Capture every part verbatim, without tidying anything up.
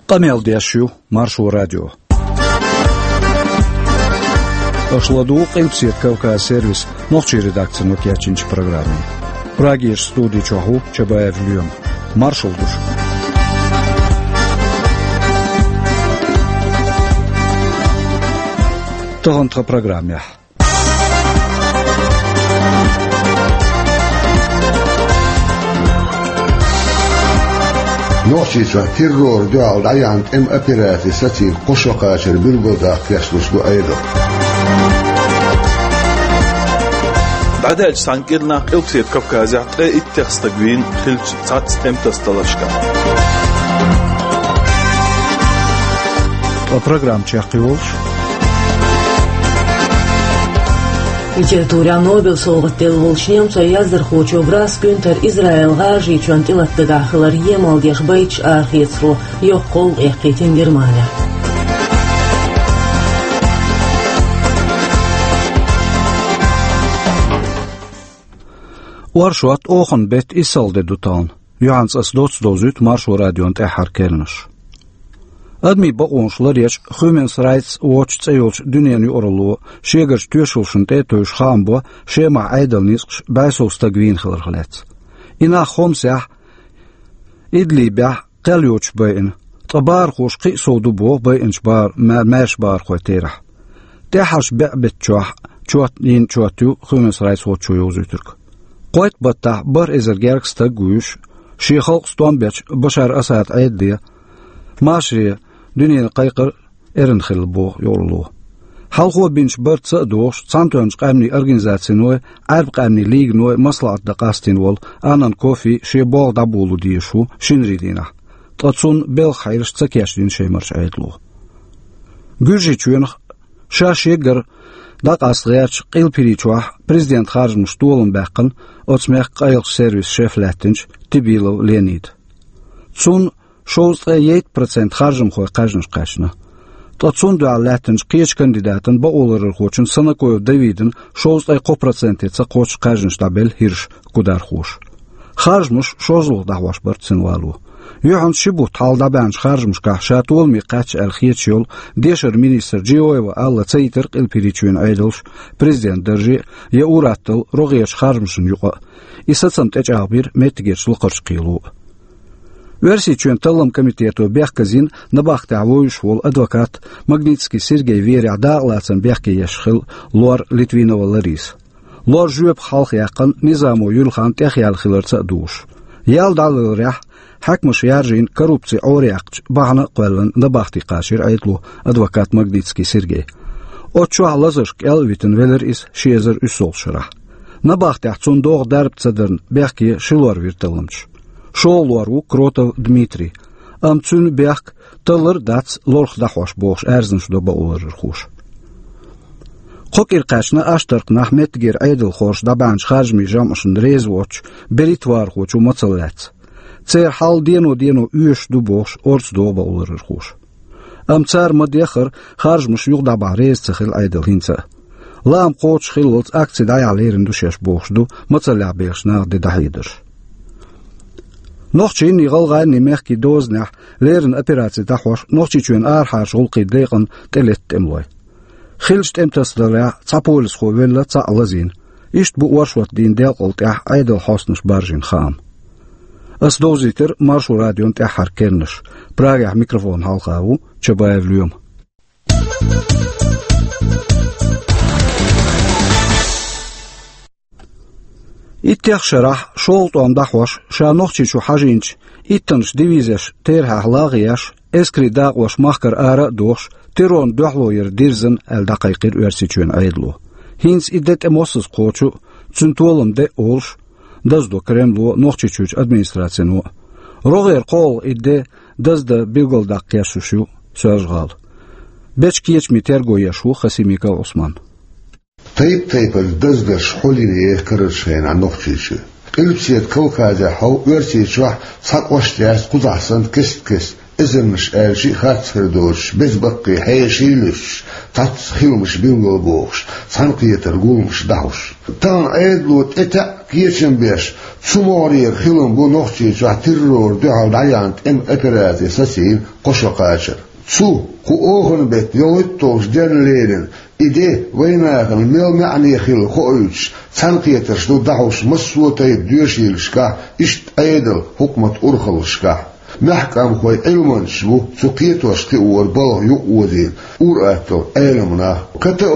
Къамел деш ю Маршо радио. Аша ладугӀу Къилбаседа Кавказ сервисан нохчийн редакцино кечйинчу программе. Прагерчу студи чохь ву Чабаев Лоьма. Маршалла ду шуьга. Тахана тхан программехь. Нохчийчохь террорна дуьхьал дӀаяьхьна тӀеман операци сацийна кхо шо кхачар билгалдаккха кечлуш ду Ӏедало. ДӀадаьллачу цхьана кӀирнахь Къилбаседа Кавказехь ткъе иттех стаг вийна хиллачу цхьацца тӀематасадаларшкахь. Ткъа программа чекхйолуш. Литературехь Нобелан совгӀат делла волчу немцойн яздархочо Грасс Гюнтера Израилан гӀажарийчоьнна тӀелатадагахь хилар емал деш байташ арахецаро йоккха гӀовгӀа эккхийтина Германехь. Оршот, оханан беттан иссалгӀа де ду тахана. Юьхьанца аса доцца довзуьйту Маршо радион тӀаьххьара керланаш. Адамийн бакъонаш ларъечу Human Rights Watch цӀе йолчу дуьненан юкъаралло шегарчу тоьшаллашна тӀе а тевжаш хаам бо Шемахь Ӏедалан ницкъаша бӀе сов стаг вийна хиларх лаьцна. И нах Хомсехь, Идлибехь кхел йоцуш байина, ткъа бахархоша кхин а сов ду боху байинчу бахар-, ма-, маьрша бахархойн терахь. ТӀаьххьарчу бӀе беттачохь чот-, йина чот ю Human Rights Watch-о йовзуьйтург. Кхойтта баттахь бархӀ эзар гергга стаг а вуьйш, шен халкъ стом бечу Башар Асадан Ӏедале, машаре дуьненан кхайкхар эрна хилла боху юкъаралло. Хьалхо бинчу барца а догӀуш, Цхьаьнатоьхначу Къаьмнийн Организациной, Ӏаьрбийн къаьмнийн лиганой маслаӀат дан къастийна волу Анан Кофи шен болх дӀаболо дезаш ву шинарин дийнахь, ткъа цунна белхан хьелаш ца кечдина Шемарчу Ӏедало. Гуьржийчоьнах ша шегара дӀакъаста гӀертачу Къилба ХӀирийчохь президентан харжамашна толам баьккхина оцу мехкан къайлахчу сервисан шеф лаьттинчу Тибилов Леонида. Цунна шовзткъе итт процент харжамхойн кхаьжнаш кхаьчна. Ткъа цунна дуьхьал лаьттинчу кхечу кандидатан, бакъоларъярхочун Санакоев Давидан шовзткъе кхо проценте ца кхоччуш кхаьжнаш дӀабелла хӀирш кудархоша. Харжамаш шозлагӀа дӀахьош бара цуьнан вало. Юьхьанца ши бутт хьалха дӀабаьхьначу харжамашкахь ша толаме кхаьчча аьлла хеташ йолу дешаран министр Джиоева Алла ца йитира Къилба ХӀирийчоьнан Ӏедалша президентан дарже а, я ур-атталла рогӀерчу харжамашна юкъа а. И сацам тӀечӀагӀбира меттигерчу лакхарчу кхело а. Оьрсийчоьнан Талламан комитето бехказйина набахтехь вевзаш волу адвокат Магнитский Сергей верехь дакъалацам бехке еш хилла лор Литвинова Лариса. Лор жоьпах хьалха яьккхина низамо юьлхана тӀехъяьлла хиларца а догӀуш. Ял дӀалеларехь, хьаькамаша яржийна коррупци Ӏораяьккхачу бахьана а кхоьллина набахте кхачийра Ӏедало адвокат Магнитский Сергей. Оцу чохь лазарш кӀел а витина велира иза ши эзар уьссалгӀачу шарахь. Набахтехь цунна догӀу дарба ца дарна бехке ши лор вира талламчаша. ШолгӀа лор ву Кротов Дмитрий. Амма цуьнан бехк таллар а дац лорах дӀахьош бохуш аьрзнаш до бакъоларъярхоша. Кхо кӀира кхаьчна Аштаркханахь меттигера Ӏедалхоша дӀабаьхьначу харжамийн жамӀашна реза воцучу берхӀиттавархочо мацалла лаьцна. Церан хьал дено-дено оьшуш ду бохуш орца догӀу бакъоларъярхоша. Амма цара ма-деххара харжамаш юха дӀабахьа реза ца хилла Ӏедал хӀинца а. Лаам кхочуш хиллалц акци дӀаяхьа лерина ду шаьш бохуш ду мацаллехь бехачу наха де дӀахьедарш. Нохчийн а, гӀалгӀайн а мехкийн дозанехь леррина операци дӀахьош Нохчийчоьнан арахьарчу гӀуллакхийн декъана тӀелетта тӀемалой. Хиллачу тӀематасадаларехь цхьа полисхо велла, цхьаъ лазийна. Иштта бу оршот дийнан делкъал тӀехь Ӏедалан хьостанаша баржийна хаам. Ас довзийтира Маршо радион тӀаьххьара керланаш. Прагехь микрофон хьалха ву Чабаев Лоьма. Иттех шарахь шолгӀа тӀом дӀахьош, ша Нохчийчу хьажийначу иттаннаш дивизеш терахьехь лагӀа еш, эскарийн дакъош махкара ара а дохуш, террорна дуьхьало яр дирзина аьлла дӀакхайкхира Оьрсийчоьнан Ӏедало. ХӀинца и де тӀе массаза кхочу, цуьнан толам де а олуш, даздо Кремло, Нохчийчуьрчу администрацино а. РогӀера кхоалгӀа и де даздан билгалдаккха кечлуш ю Соьлжа-ГӀала. Бечу кечамийн терго еш ву Хасимиков Ӏусман. Тайп-тайпана даздарш хьулйина еха карарчу хенахь Нохчийчу. Къилбаседа Кавказехь хьо Оьрсийчохь цхьа кӀошт яц кхузахь санна кест-кеста, эзарнаш аьлча а, харц хир доцуш, беза баккхий хьеший а луьстуш, цхьацца хиламаш билгалбохуш, цхьаьнакхетар гуламаш дӀахьуш. Тахана Ӏедало тӀетаьӀ кечам беш, цу могӀарера хилам бу Нохчийчохь террора дуьхьал дӀаяьхьна тӀеман операци сацийна кхо шо кхачар. Цу, кху оханан беттан йолхуьтталгӀачу денна лерина и де вайнахана мел маьӀне хилла хоуьйтуш, цхьаьнакхетарш ду дӀахьош массо а тайпа доьшийлашкахь, иштта Ӏедал, хьукмат урхаллашкахь. Маьхкамхой, Ӏилманчаш бу цу кхетош-кхиоран балха юкъаозийна ур-атталла Ӏеламнах. КТО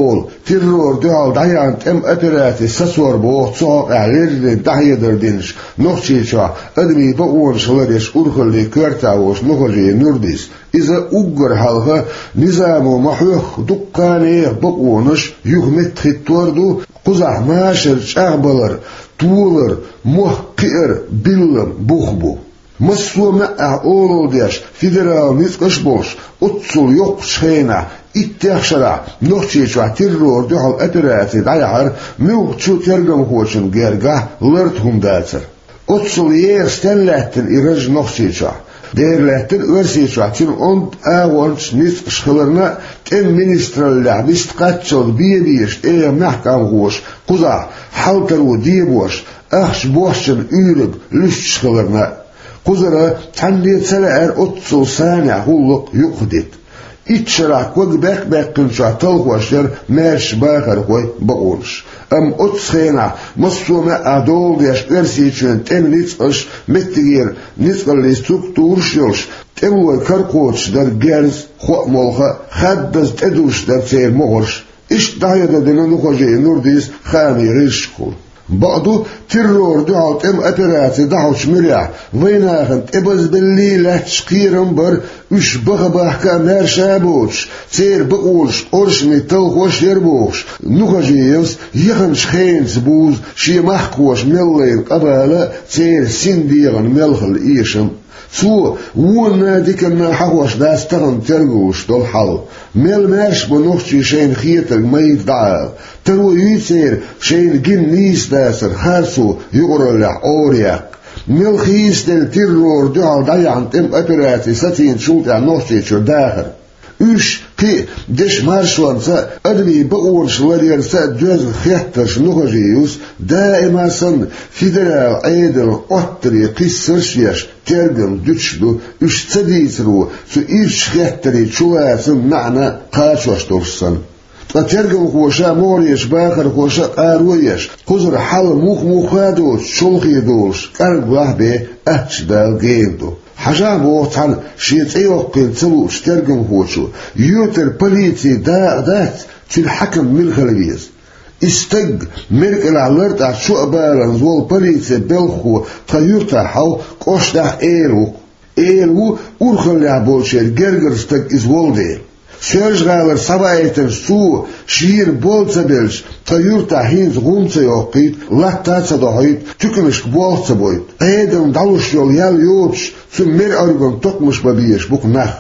олу террора дуьхьал дӀаяьхьна тӀеман операци сацор боху цу хьокъехь леррина дӀахьедар динчу Нохчийчохь адамийн бакъонаш ларъеш урхаллин коьртехь волчу Нухажиев Нурдис. Иза уггар хьалха низамо ма-хьоьхху дуккха а нехан бакъонаш юха меттахӀиттор ду, кхузахь машар чӀагӀбалар, толар, мохк кхиар биллам бух бу. Массо а маьӀӀехь олалла деш, федералан ницкъаш а болуш, оццул йоккхачу хенахь, иттех шарахь Нохчийчохь террора дуьхьал операци дӀаяхьар муьлххачу тергамхочун гергахь ларда хӀума дацара. Оццул еха стенна лаьттина и раж Нохчийчохь? Дера лаьттина Оьрсийчохь цуьнан онда агӀончаш, ницкъаш хиларна а, тӀеман министраллехь вист кхаччалц бен безаш тӀех маьхкамхоша кхузахь хьал таро дебош, ахча бохчанан уьйриг луьстуш хиларна а. Кхузара цхьанне ца лаьара оццул санехь гӀуллакх юкъахдита. Итт шарахь ког баьккхина-баьккхинчохь талхош яра маьрша бахархойн бакъонаш. Амма оццу хенахь массо а маьӀӀехь дола деш Оьрсийчоьнан тӀеман ницкъаш, меттигера ницкъаллин структураш а йолуш, тӀемалойн кара кхочуш дара герз, хоамолха а, хаддаза тӀедузуш дара церан могӀарш. Иштта дӀахьедар дина Нухажиев Нурдиса хаамийн гӀирсашкахула. Бакъду, террора дуьхьал тӀеман операци дӀахьочу муьрехь вайнахана тӀебазбеллий лаьтташ кхерам а бара, уьш баха-бахка а маьрша а боцуш, церан бакъонаш оршамийн талхош а яра бохуш, Нухажиевс яханчу хенаца бузу шен махкахоша мел лайна къа-бала а, церан син дегӀана мел хилла эшам а. Цо вонна а, диканна а хьахош дац тахана тергалуш долу хьал. Мел маьрша бу нохчий шайна хетарг майда дӀаала? Таро юй церан шайна гина нийса дацар харцо юкъараллехь Ӏора яккха? Мел хийцаделла террора дуьхьал дӀаяьхьна тӀеман операци сацийначул тӀаьхьа Нохчийчуьра дахар? Уьш, кхин а дешан маршонца а, адамийн бакъонаш ларъярца а доьзна хеттарш Нухажиевс даима а санна федералан Ӏедалан Ӏоттаре кхиссарш а еш, тергам дуьтуш ду, уьш ца дийцаро цу ирчу хеттарийн чулацаман маьӀна кхачош долуш санна. Ткъа тергамхоша а, могӀарерчу бахархоша а къаро а еш, кхузара хьал мух-муха а доцуш, чолхе долуш, кӀарглахь бен аттачу Дала гена ду. Хьажахь, боху цхьана шен цӀе йоккхийла ца луучу тергамхочо, юьртара полицин дакъа дац, цуьнан хьаькам мила хила веза? И стаг, мера кӀелахь лартӀехь чоа баланза волу полицин белхахо тхан юьртахь хьовха, кӀоштахь а эла ву-кх. Эла ву, урхаллехь болчеран гергара стаг иза волу дела. Соьлжа-ГӀалара схьаваийтинчу цо шена бола ца белча, тхан юьртахь хӀинца гӀум ца йоккхуьйту, латта а ца дохьуьйту, туьканашка болх а ца бойту. Ӏедална дӀалуш йолу ял йоцуш, цу мера Ӏуьргана токхамаш бан безаш бу-кх нах.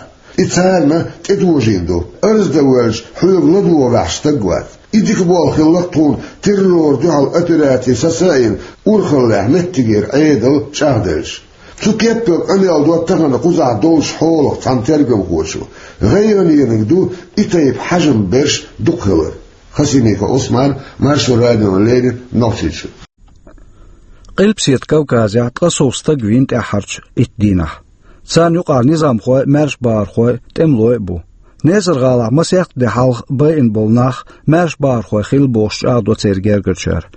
И царна тӀедожийна ду. Арз дан воьлча, хьоьга ладогӀа ваьхьаш стаг вац. И дика болх хилла-кх тхуна террора дуьхьал операци саца а йина, урхаллехь меттигера Ӏедал чӀагӀделча. Цу кеппара къамел до тахана кхузахь долчу хьолах цхьана тергамхочо. ГӀайгӀанениг ду и тайпа хьажам берш дукха хилар. Хасимиков Ӏусман, Маршо радиона леррина, Нохчийчуьра. Къилбаседа Кавказехь ткъа сов стаг вийна тӀаьххьарчу итт дийнахь. Царна юкъахь низамхой а, маьрша бахархой а, тӀемалой а бу. Несар-ГӀалахь масех де хьалха байина болу нах маьрша бахархой хилла бохуш чӀагӀдо церан гергарчара.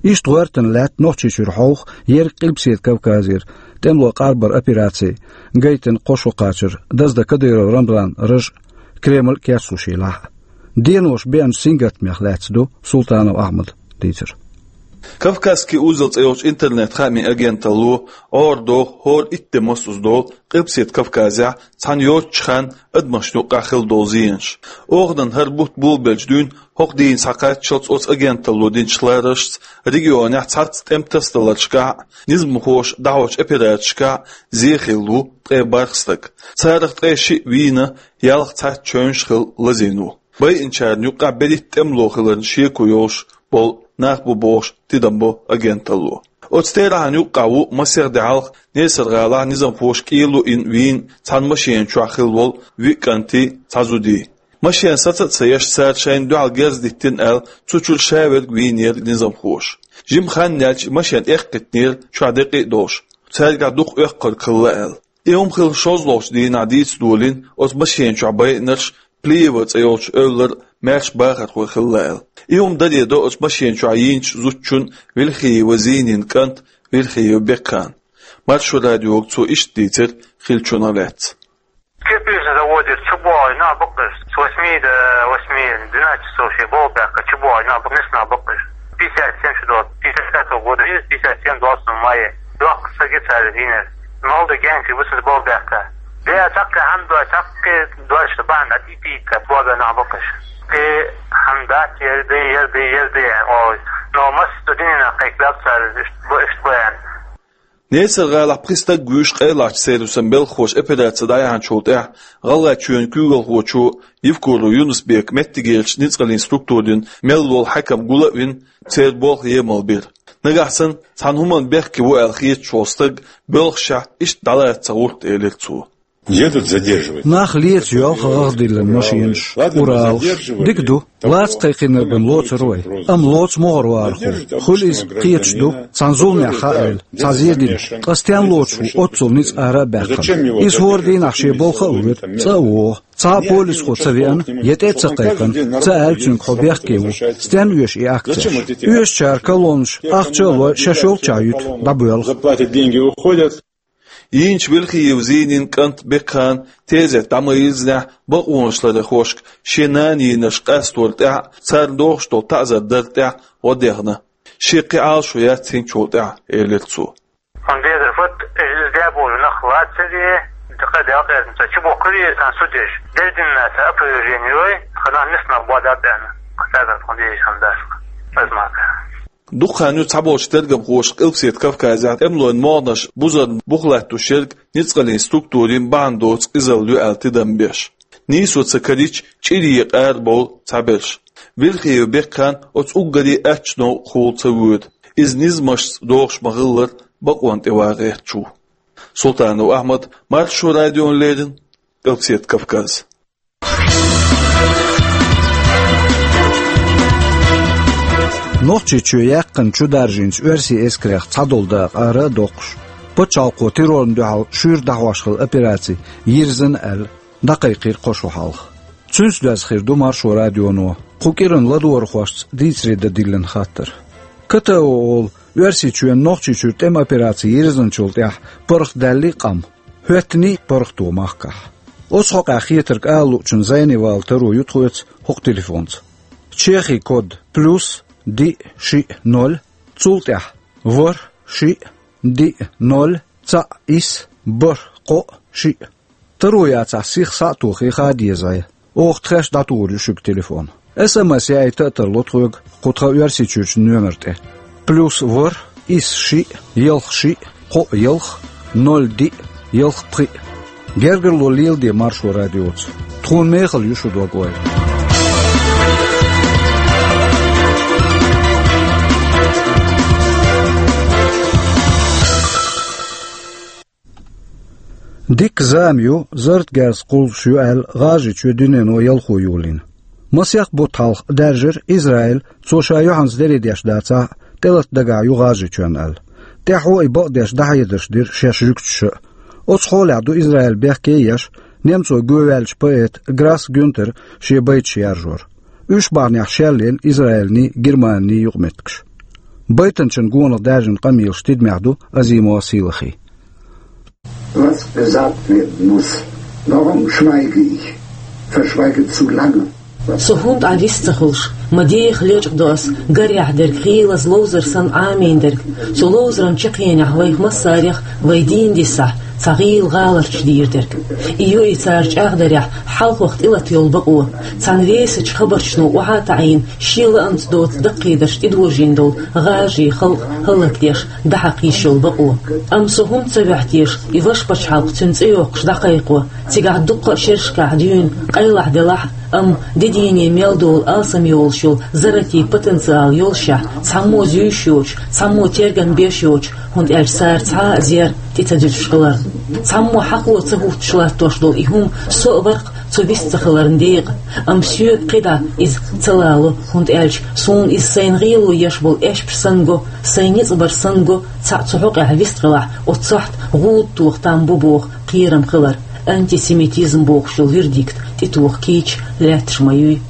Иштта гӀоьртина лаьтта Нохчийчуьра хьовха ерриг Къилбаседа Кавказера тӀемалойн къарбаран операци гайтина кхо шо кхачар, даздан Кадыров Рамзанан раж а, Кремль а кечлуш елахь а. Денош беанчу сингаттамех лаьцна ду Султанов Ахьмадан дийцар. «Кавказский узел» цӀе йолчу интернет-хаамийн агенталло Ӏора доху хӀора итт де мосазза долу Къилбаседа Кавказехь цхьана йоццучу хенахь адамашна юккъехь хилла долу зенаш. Оханан хӀара бутт болабелча дуьйна хӀокху дийне схьакхаччалц оцу агенталло динчу лараршца регионехь цхьацца тӀеман тасадаларшкахь а, низамхоша дӀахьочу операцешкахь а зен хилла ву ткъе бархӀ стаг. Царах ткъе шиъ вийна, ялх цхьацца чевнаш хилла лазийна ву. Байинчарна юккъехь берхӀитта тӀемало хиларна шеко йолуш болу нах бу бохуш тидам бо агенталло. Оцу терахьна юккъехь ву масех де хьалха Несар-ГӀалахь низамхоша кӀело а йина вийна цхьана машена чохь хилла волу виъ кӀантий, цхьа зудий. Машен саца а ца еш, цара шайна дуьхьал герз диттина аьлла, цу чуьра ша верг вийнера низамхоша. Жима хан яьлча машен эккхийтинера чохь декъий а долуш, цаьргахь дукха оьккхург хилла аьлла. И хӀума хилла шозлагӀчу дийнахь дийца долийна оцу машен чохь байинарш Плиева цӀе йолчу эвлара маьрша бахархой хилла аьлла. И хӀума даре до оцу машен чохь йийначу зудчун Вилхиева Зийнин кӀант Вилхиев Бекхан. Маршо радиога цо иштта дийцира хиллачунах лаьцна. Кирпичный заводера чу богӀий нах бу-кх уьш. С восьми до восьми, двенадцать часов шен болх баьккха чу богӀий нах бу-кх, нисса нах бу-кх уьш. Пятьдесят семь шу долу, пятьдесят пятого года, пятьдесят семь двадцать мая. Доккха саг ю цара дийнар. Молодой генкий бу цуьнца болх баьккха. Де, цхьаьна хьан дой, цхьаьна дой, шу бахьана дӀатӀе пийта, богӀий нах бу-кх уьш. Де, хьан дац, яра де, яра де, яра де, аьлла, олуш. Но массо а дуьненах кхайкхабелла цара, иштта бу, иштта бу аьлла. Несар-гӀалахь пхи стаг вуьйш къайлахчу сервисан белхахоша операци дӀаяьхьначул тӀаьхьа ГӀалгӀайчоьнан куьйгалхочо Евкуров Юнус-Бека меттигерчу ницкъаллин структурийн мел волу хьаькам гул а вина, церан болх емал бира. Нагахь санна цхьана хӀуманна бехке ву аьлла хеташ волу стаг боьлхушехь иштта дӀалаца ца гӀерта, элира цо. Едут задерживать. Нах леца йоьлху гӀагӀ диллина машенаш, Уралаш. Дика ду, лаца кхайкхийнарг бен лоцур вай. Амма лоцу могӀарера вахархо. Хуьлу иза, кхеташ ду, цхьана зуламехь хаийла, цхьа зен дина. Ткъа стенна лоцуш ву оццул ницкъ ара а баьккхина? Иза хӀора дийнахь шен болх а вуьту, цӀа а вогӀу. Цхьа а полисхо ца веана, я тӀе а ца кхайкхина, ца аьлла цуьнга хьо бехке ву. Стенна оьшу и акцеш? Оьшучара колоннаш, ахча а лой, шаьш йолччохь юьту, дӀабоьлху. Зарплаты, деньги уходят. Йийначу Вилхиев Зийнин кӀант Бекхан тезет дӀа ма-йирзинехь, бакъонаш ларъярхошка шен нана йийнарш къастор тӀехь а, царна дохуш долу таӀзар дар тӀехь а гӀо дехна. Шен кхин Ӏалашо яц хӀинцачул тӀаьхьа, элира цо. Хьуна дезар фат, иза де болу нах лацаре, дакха делкъерна ца чу боккхуре, сан судеш. Дердинна ца опровержение йой, хана нисна бада бена. Кхазар хьуна дезаш хьуна дашка. Азмака. Дукха хан ю цхьаболчу тергамхоша Къилбаседа Кавказехь тӀемалойн могӀанаш бузарна бух латтош ерг ницкъаллин структурийн бахьана доцу къизалла ю аьлла тидам беш. Нийсо ца карийча, чӀир екъа ара бовлу цхьаберш. Вилхиев Бекхан оцу уггаре аттачу новкъахула ца воьду. Иза низамашца догӀуш ма-хиллара, бакъонна тӀе ван гӀерташ ву. Султанов Ахьмад, Маршо радиона леррина, Къилбаседа Кавказ. Нохчийчоь яьккхина чу даржийначу оьрсийн эскарех цхьадолу дакъа ара а доккхуш, пачхьалкхо террорна дуьхьал шуьйра дӀахьош хилла операци йирзина аьлла, дӀакхайкхийра кхо шо хьалха. Цуьнца доьзна хир ду Маршо радионо кху кӀиранан ладогӀархошца дийцаре дан диллина хаттар. КТО олу Оьрсийчоьнан Нохчийчуьра тӀеман операци йирзинчул тӀаьхьа паргӀатдаьллий къам, хӀоьттиний паргӀато махкахь. Оцу хьокъехь хетарг ала луучун зӀене вала таро ю тхоьца хӀокху телефонца. Чехин код плюс диъ шиъ ноль, цул тӀаьхьа ворхӀ шиъ диъ ноль цхьаъ исс бархӀ кхоъ шиъ. Таро яцахь, сиха схьа а тохий, хаа деза. Оха тхаьш дӀатухур ю шуьга телефон. СМС яийта а тарло тхоьга кху тхан Оьрсийчуьрчу номер тӀе. Плюс ворхӀ исс шиъ ялх шиъ кхоъ ялх ноль диъ ялх пхиъ. Гергарло леладе Маршо радиоца. Тхуна мехала ю шун дог-ойла. Дикка зама ю, зарратан герз кхуллуш ю аьлла, ГӀажарийчоь дуьнено ялхо йолийна. Масех бутт хьалха даьржира Израиль, цо ша юьхьанца дерриг деш дацахь а, тӀелата дагахь ю ГӀажарийчоьнна аьлла. ТӀаьхьо и бакъдеш дӀахьедарш дира шаьш жуьгташа а. Оцу хьолехь ду Израиль бехке а еш, немцойн гӀоьваьллачу поэта Грасс Гюнтера шен байташ яржор. Уьш бахьанехь шелъелла Израилний, Германиний юкъаметтигаш. Байтанчийн гонах даьржина къамелаш тидамехь ду Азимов Сийлахьан. Was gesagt werden muss, warum schweige ich? Verschweige zu lange. Со хӀунда Ӏа вист ца хуьлуш? Ма деха лечкъадо ас гарехь дерг, хийлаза ловзар санна Ӏамийна дерг. Цу ловзаран чаккхенехь вайх массарех, вай дийна дисахь, цхьа гӀийла гӀаларчаш дийр дерг. И ю и цара чӀагӀдарехь хьалхох тӀелата йолу бакъо. Цхьана весачу хабарчано охьа а таӀийна, шен лаамца доцу даккхийдарш тӀедожийна долу гӀажарийн халкъ хӀаллакдеш, дӀахьакха йиш йолу бакъо. Амма со хӀунда ца ваьхьа теша и ваша пачхьалкх цуьнан цӀе йоккхуш дӀакхайкхо, цигахь дуккха а шерашкахь дуьйна къайлахь делахь а, амма де дийне мел долу алсам йолуш йолу зарратийн потенциал йолушехь, цхьаммо зуьйш йоцуш, цхьаммо тергам беш йоцуш, хӀунда аьлча цара цхьа а зер тӀе ца дуьтуш хиларна. Цхьаммо хьакхо ца хӀуттуш латтош долу и хӀума со а вара-кх, Со вист ца хиларна декъа, амма соьга кхидӀа иза ца лало, хӀунда аьлча суна иза сайна гӀело еш болу эшпаш санна го, сайн ницкъ бар санна го, цхьаъ цу хьокъехь вист хилахь, оцу сохьта гӀуда тоха там бу боху кхерам хилар, антисемитизм бохуш йолу вердикт тӀетоха кийча лаьтташ ма юй.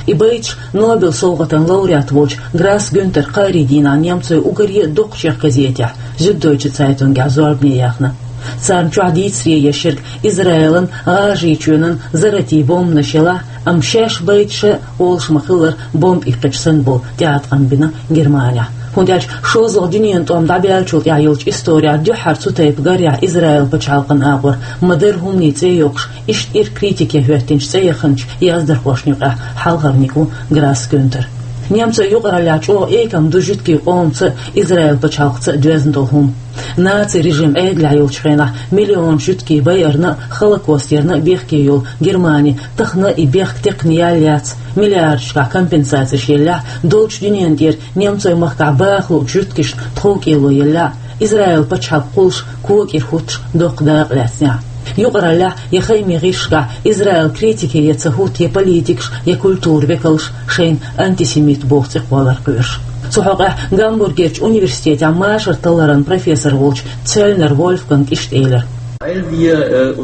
И байташ Нобелан совгӀатан лауреат волчу Грасс Гюнтера кхаарин дийнахь немцойн уггаре а доккхачу чех газетехь, Зюддойче Цайтунгехь зорбане яьхна. Царна чохь дийцаре еш ерг Израилан, ГӀажарийчоьнан, Заратин бомбанаш елахь, амма шаьш байташ а олуш ма-хиллара бомба иккхича санна болу тӀеӀаткъам бина Германехь. ХӀунда аьлча шозлагӀа дуьненан тӀом дӀабаьллачул тӀаьхьа йолчу исторехь дуьххьара цу тайпа гарехь Израил пачхьалкхан агӀор ма-дарра хӀуманийн цӀе йоккхуш, иштта ирх критике хӀоьттинчу цӀе яханчу яздархошна юкъахь хьалхарниг ву Грасс Гюнтер. Немцойн юкъараллехь чӀогӀа экам ду жуьгтийн къомаца а, Израил пачхьалкхаца а доьзна долу хӀума. Наци режим Ӏедалехь йолчу хенахь миллионаш жуьгтий байарна а, Холокост ярна а бехке йолу Германи тахана и бехк текхна ял яц, миллиардашкахь компенсацеш еллехь, долчу дуьненна тӀера немцойн махкахь баха луучу жуьгташна тховкӀело еллехь, Израил пачхьалкх кхуллуш кога кӀира хӀуттуш доккха дакъа лаьцнехь. Юкъараллехь я хаамийн гӀирсашкахь Израил критике я ца хӀутту я политикаш, я культуран векалш шайна антисемит боху цӀе кхоллар кхоьруш. Цу хьокъехь Гамбургерчу университетехь машар талларан профессор волчу Цельнер Вольфганга иштта элира: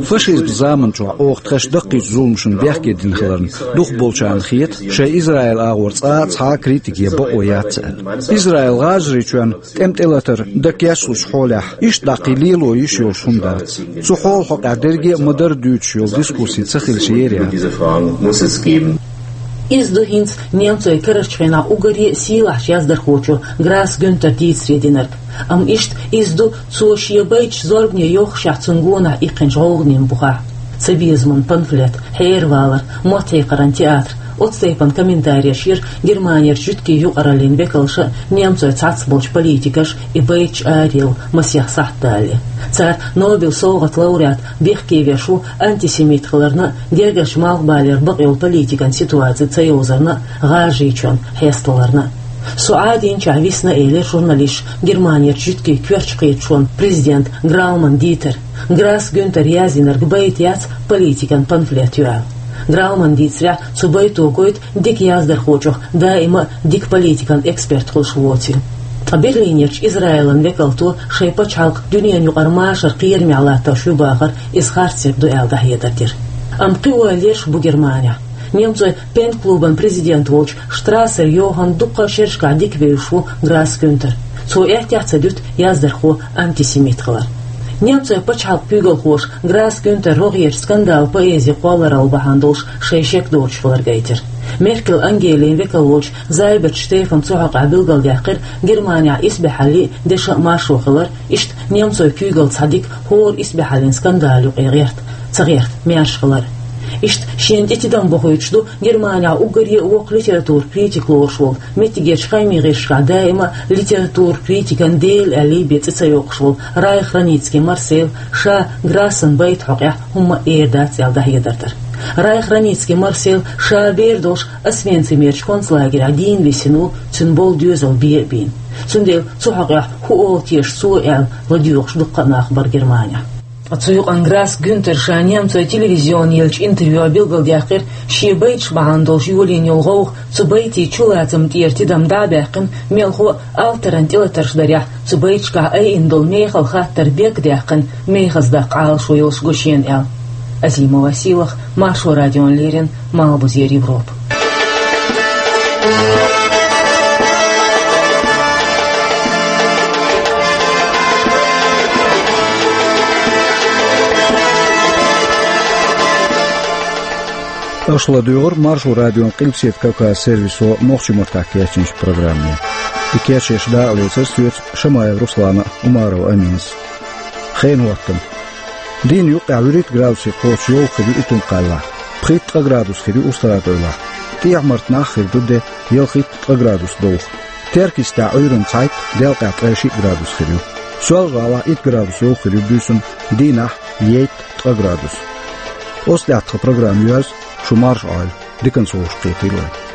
Фашизман заманчохь оха тхаьш даккхийчу зуламашна бехке дина хиларна, дукхахболчарна хета, шайн Израил агӀор цкъа а цхьа а критика я бакъо яц аьлла. Израил ГӀажарийчоьнна тӀем тӀелатар дан кечлучу хьолехь, иштта дӀа кхин лело йиш йолуш хӀума дац. Цу хьолан хьокъехь дерриге а ма-дарра дуьйцуш йолу дискуссий ца хилча, ер яц. Иза ду хӀинца немцойн карарчу хенахь уггаре а сийлахьчу яздархочо Грасс Гюнтера дийцаре динарг. Амма иштта иза ду цо шен байташ зорбане йохушехь цунна гонах иккхинчу гӀовгӀанийн бухахь. Цабезаман памфлет, хьеравалар, мотт хьекхаран театр, оцу тайпана комментареш йира Германерчу жуьгтийн юкъараллин векалша а, немцойн цхьацца болчу политикаша а и байташ араяла масех сахьт далале. Цара Нобелан совгӀатан лауреат бехке веш ву антисемит хиларна а, гергарчу малхбалера бакъйолу политикан ситуаци ца йовзарна а, ГӀажарийчоьнна хьесталарна а. Со Ӏадийначохь висна, элира журналисташа Германерчу жуьгтийн коьртачу кхеташонан президента Грауман Дитера. Грасс Гюнтера яздинарг байт яц, политикан памфлет ю аьлла. Граумана дийцарехь, цу байто гойту дика яздархочух даима а дика политикан эксперт хуьлуш воций. Ткъа Берлинерчу Израилан векалто шайн пачхьалкх дуьненан юкъара машаран кхерамехь латтош ю бахар иза харцдерг ду аьлла дӀахьедар дира. Амма кхин ойла ерш бу Германехь. Немцойн пен-клубан президент волчу Штрассер Йоханна дуккха а шерашкахь дика вевзаш ву Грасс Гюнтер. Цо аьттехьа ца дуьту яздархо антисемит хилар. Немцойн пачхьалкхан куьйгалхоша Грасс Гюнтер рогӀерчу скандалан поэзи кхолларалла бахьана долуш шайн шек доцуш хилар гайтира. Меркель Ангелин векал волчу Зайберт Штефана цу хьокъехь билгалдаьккхира Германехь исбаьхьаллин а, дешан а маршо хилар, иштта немцойн куьйгалла цхьа дика хӀора исбаьхьаллин скандал юкъе гӀерта, ца гӀерта маьрша хилар. Иштта шена тӀе тидам бохуьйтуш ду Германехь уггаре а воккха литературан критик лоруш волу, меттигерчу хаамийн гӀирсашкахь даима а литературан критикан дела аьлла бен цӀе ца йоккхуш волу Райх-Раницкий Марсель, ша Грассана байта хьокъехь хӀумма а эр дац аьлла дӀахьедар дара. Райх-Раницкий Марсель ша бер долуш Освенцимерчу концлагерехь дийна висина ву, цуьнан болу доьзал бен а бийна. Цундела цу хьокъехь хӀун олу теша цо аьлла, ладоьгӀуш дуккха а нах бара Германехь. Ткъа цу юкъана Грасс Гюнтера ша немцойн телевизионе еллачу интервьюхь билгалдаьккхира, шен байташ бахьана долуш йолийна йолу гӀовгӀа, цу байтийн чулацамна тӀера тидам дӀа а баьккхина, мелхо а алтаран тӀелатарш дарехь, цу байташкахь айина долу мехала хаттар берг а даьккхина, мехаза даккха Ӏалашо йолуш го шена аьлла. Азимова Сийлаха, Маршо радиона леррина, Малхбузера Европа. Аша ладуьйгӀира Маршо радион Къилбаседа Кавказан сервисо нохчийн маттахь кечйинчу программе. И кечъеш дакъа лецира соьца Шамаев Руслана а, Умарова Аминас а. Хенан хӀоттам. Дийнна юккъехь вуьрхӀитта градусе кхочуш йовха хир ю Итум-Кхаьллахь, пхийтта-ткъа градус хир ю УстагӀа-ТӀойлахь. ТӀехьа-Мартанахь хир ду де, ялхитта-ткъа градус довха. Теркйистехь Ӏуьйранна цхьайтта, делкъехь ткъе шиъ градус хир ю. Соьлжа-ГӀалахь итт градус йовха хир ю буьйсанна, дийнахь ейтта-ткъа градус. Оцу тӀехь тхан программа йоьрзу, шу марша Ӏойла, диканца вовшахкхетийла вай.